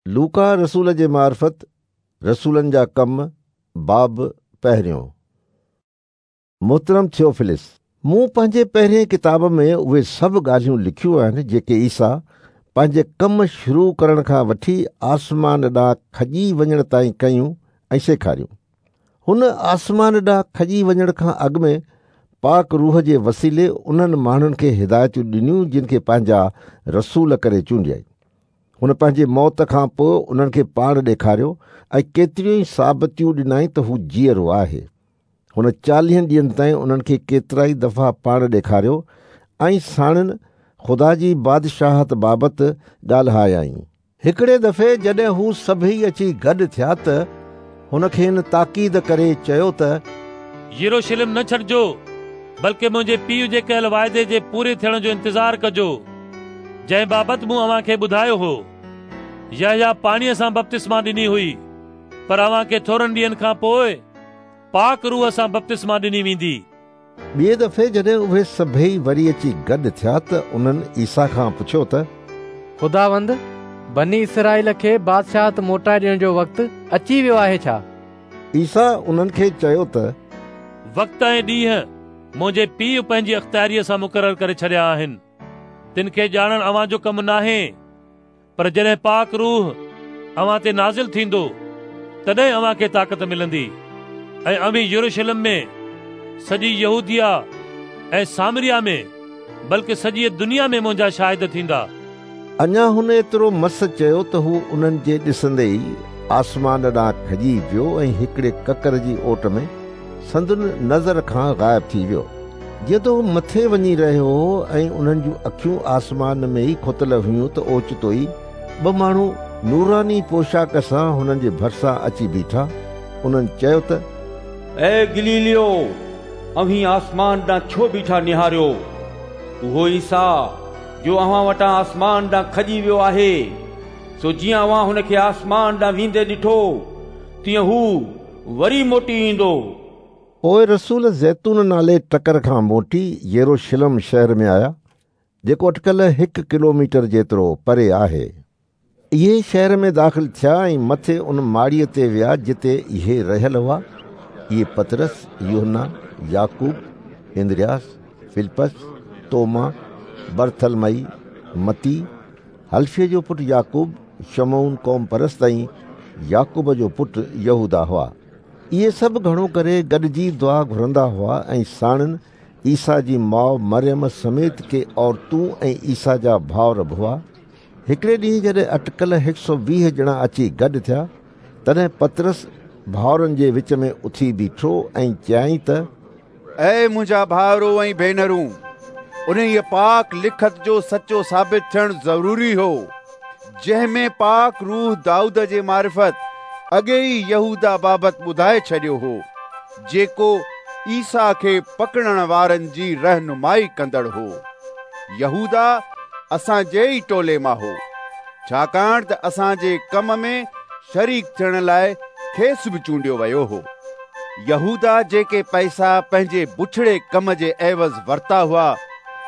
لوقا رسول جي معرفت رسولن جا ڪم، باب پهريون. محترم ٿيوفلس، مون پنهنجي پهرئين ڪتاب ۾ اهي سڀ ڳالهيون لکيون آهن جيڪي عيسيٰ پنهنجي ڪم شروع ڪرڻ کان وٺي آسمان ڏانهن کڄي وڃڻ تائين ڪيون ۽ سيکاريون. هن آسمان ڏانهن کڄي وڃڻ کان اڳ ۾ پاڪ روح جي وسيلي انهن ماڻهن کي هدايتون ڏنيون جن کي پنهنجا رسول ڪري چونڊيائين. هن پنهنجي موت کان پوء انهن کي پاڻ ڏيکاريو ۽ ڪيتريون ئي ثابتيون ڏنائين ته هو جيئرو آهي. هن چاليهن ڏينهن تائين انهن کي ڪيترائي دفعا پاڻ ڏيکاريو ۽ ساڻن خدا جي بادشاهت بابت ڳالهايائين. هڪڙي دفعي جڏهن هو سڀيئي اچي گڏ ٿيا ته هن کين تاڪيد ڪري چيو ته. يروشلم نه ڇڏجو، بلڪه منهنجي پيء جي ڪيل واعدي جي پوري ٿيڻ جو انتظار ڪجو، جنهن بابت مون اوهان کي ٻڌايو هو. يحيٰ پاڻيء سان بپتسما ڏني هئي، پر اوهان کي ٿورن ڏينهن کان پوء پاڪ روح سان بپتسما ڏني ويندي. ٻئي دفعي جڏهن اهي سڀيئي وري اچي گڏ ٿيا ته انهن عيسيٰ کان پڇيو ته. خداوند، بني اسرائيل کي بادشاهت موٽائي ڏيڻ جو وقت اچي ويو آهي ڇا؟ عيسيٰ انهن کي چيو ته. وقت ۽ ڏينهن منهنجي پيء پنهنجي اختياريء سان مقرر ڪري ڇڏيا آهن، تن کي ڄاڻڻ اوهان جو ڪم ناهي، پر جڏهن پاڪ روح اوهان تي نازل ٿيندو، تڏهن اوهان کي طاقت ملندي ۽ اوهين يروشلم ۾، سڄي يهوديه ۽ سامريه ۾، بلڪ سڄيء دنيا ۾ منهنجا شاهد ٿيندا. اڃا هن ايترو مس چيو ته هو انهن جي ڏسندي ئي آسمان ڏانهن کڄي ويو ۽ هڪڙي ڪڪر جي اوٽ ۾ سندن نظر کان غائب ٿي ويو. جيئن ته هو مٿي وڃي رهيو هو ۽ انهن جون اکيون آسمان ۾ ئي کتل هيون ته اوچتو ئي ٻه ماڻهو نوراني پوشاڪ سان هنن جي ڀرسان اچي بيٺا. انهن چيو ته. اي گليليو! اوهين آسمان ڏانهن ڇو بيٺا نهاريو؟ اهو عيسيٰ جو اوهان وٽان آسمان ڏانهن کڄي ويو آهي، سو جيئن اوهان هن کي آسمان ڏانهن ويندي ڏٺو، تيئن هو وري موٽي ايندو. پوء رسول زيتون نالي ٽڪر کان موٽي يروشلم شهر ۾ آيا، جيڪو اٽڪل هڪ ڪلوميٽر جيترو پري آهي. اهي شهر ۾ داخل ٿيا ۽ مٿي ان ماڙيء تي ويا جتي اهي رهيل هئا. اهي پطرس، يوحنا، يعقوب، اندرياس، فلپس، توما، برٿلمئي، متي، حلفي جو پٽ يعقوب، شمعون قوم پرست ۽ يعقوب جو پٽ يهوداه هئا. اهي سڀ گهڻو ڪري گڏجي دعا گهرندا هئا ۽ ساڻن عيسيٰ جي ماء مريم سميت ڪي عورتون ۽ عيسيٰ جا ڀائر به هئا. هڪڙي ڏينهن جڏهن اٽڪل 120 ڄڻا اچي گڏ ٿيا، تڏهن پطرس ڀائرن جي وچ ۾ اٿي بيٺو ۽ چيائين ته. اي منهنجا ڀائرو ۽ ڀينرون، انهيء پاڪ لکت جو سچو ثابت ٿيڻ ضروري هو، جنهن ۾ پاڪ روح دائود جي معرفت اڳي ئي يهوداه بابت ٻڌائي ڇڏيو هو، جيڪو عيسيٰ کي پڪڙڻ وارن جي رهنمائي ڪندڙ هو. يهوداه اسان جي ئي ٽولي مان هو، ڇاڪاڻ ته اسان جي ڪم ۾ شريڪ ٿيڻ لاء کيس به چونڊيو ويو هو. يهوداه جيڪي پئسا پنهنجي بڇڙي ڪم جي عيوض ورتا هئا،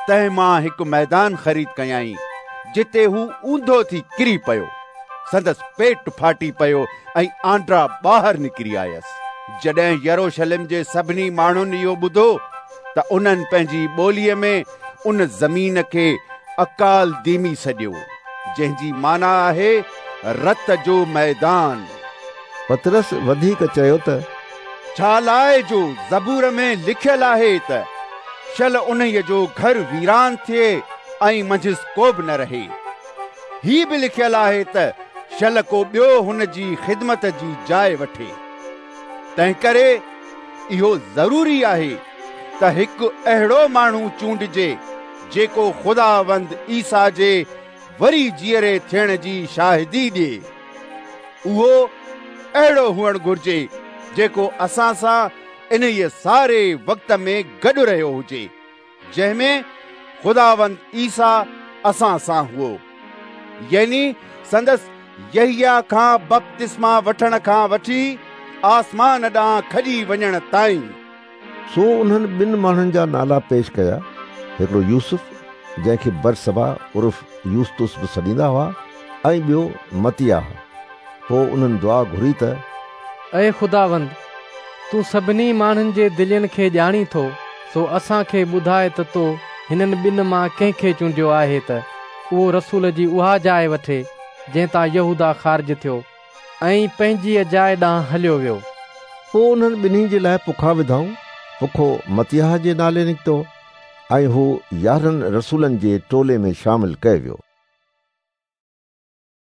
تنهن مان هڪ ميدان خريد ڪيائين، جتي هو اونڌو ٿي ڪري پيو. سندس پيٽ ڦاٽي پيو ۽ آنڊا ٻاهر نڪري آيس. جڏهن يروشلم جي سڀني ماڻهن اهو ٻڌو ته انهن پنهنجي ٻوليء ۾ ان زمين کي اڪالديمي سڏيو، جنهن جي معنيٰ آهي رت جو ميدان. پطرس وڌيڪ چيو ته. ڇا لاء جو زبور ۾ لکيل آهي ته شل انهيء جو گهر ويران ٿئي ۽ منجهس ڪو به نه رهي. هي به لکيل آهي ته شل ڪو ٻيو هن جي خدمت جي جاء وٺي. تنهنڪري اهو ضروري آهي ته هڪ اهڙو ماڻهو چونڊجي جيڪو خداوند عيسيٰ جي وري جيئري ٿيڻ جي شاهدي ڏئي. اهو اهڙو هئڻ گهرجي جيڪو اسان سان انهيء ساري وقت ۾ گڏ رهيو هجي. جنهن ۾ خداوند عيسيٰ اسان سان هئو، يعني سندس يحيٰ کان بپتسما وٺڻ کان وٺي آسمان ڏانهن کڄي وڃڻ تائين. سو انهن ٻن ماڻهن جا نالا پيش ڪيا، هڪڙو يوسف، جنهن کي برسبا عرف يوستس به سڏيندا هئا، ۽ ٻيو متياه. پوء انهن دعا گهري ته. اي خداوند، تون سڀني ماڻهن جي دلين کي ڄاڻين ٿو، سو اسان کي ٻڌاء ته تو هنن ٻن مان ڪنهن کي چونڊيو آهي ته اهو رسول جي اها جاء وٺي، جنهن تان يهوداه خارج ٿيو ۽ پنهنجيء جاء ڏانهن هليو ويو. پوء انهن ٻنهي جي لاء پکا وڌائون. پکو متياه جي نالي نڪتو ۽ هو 11 رسولن جي ٽولي ۾ شامل ڪيو ويو.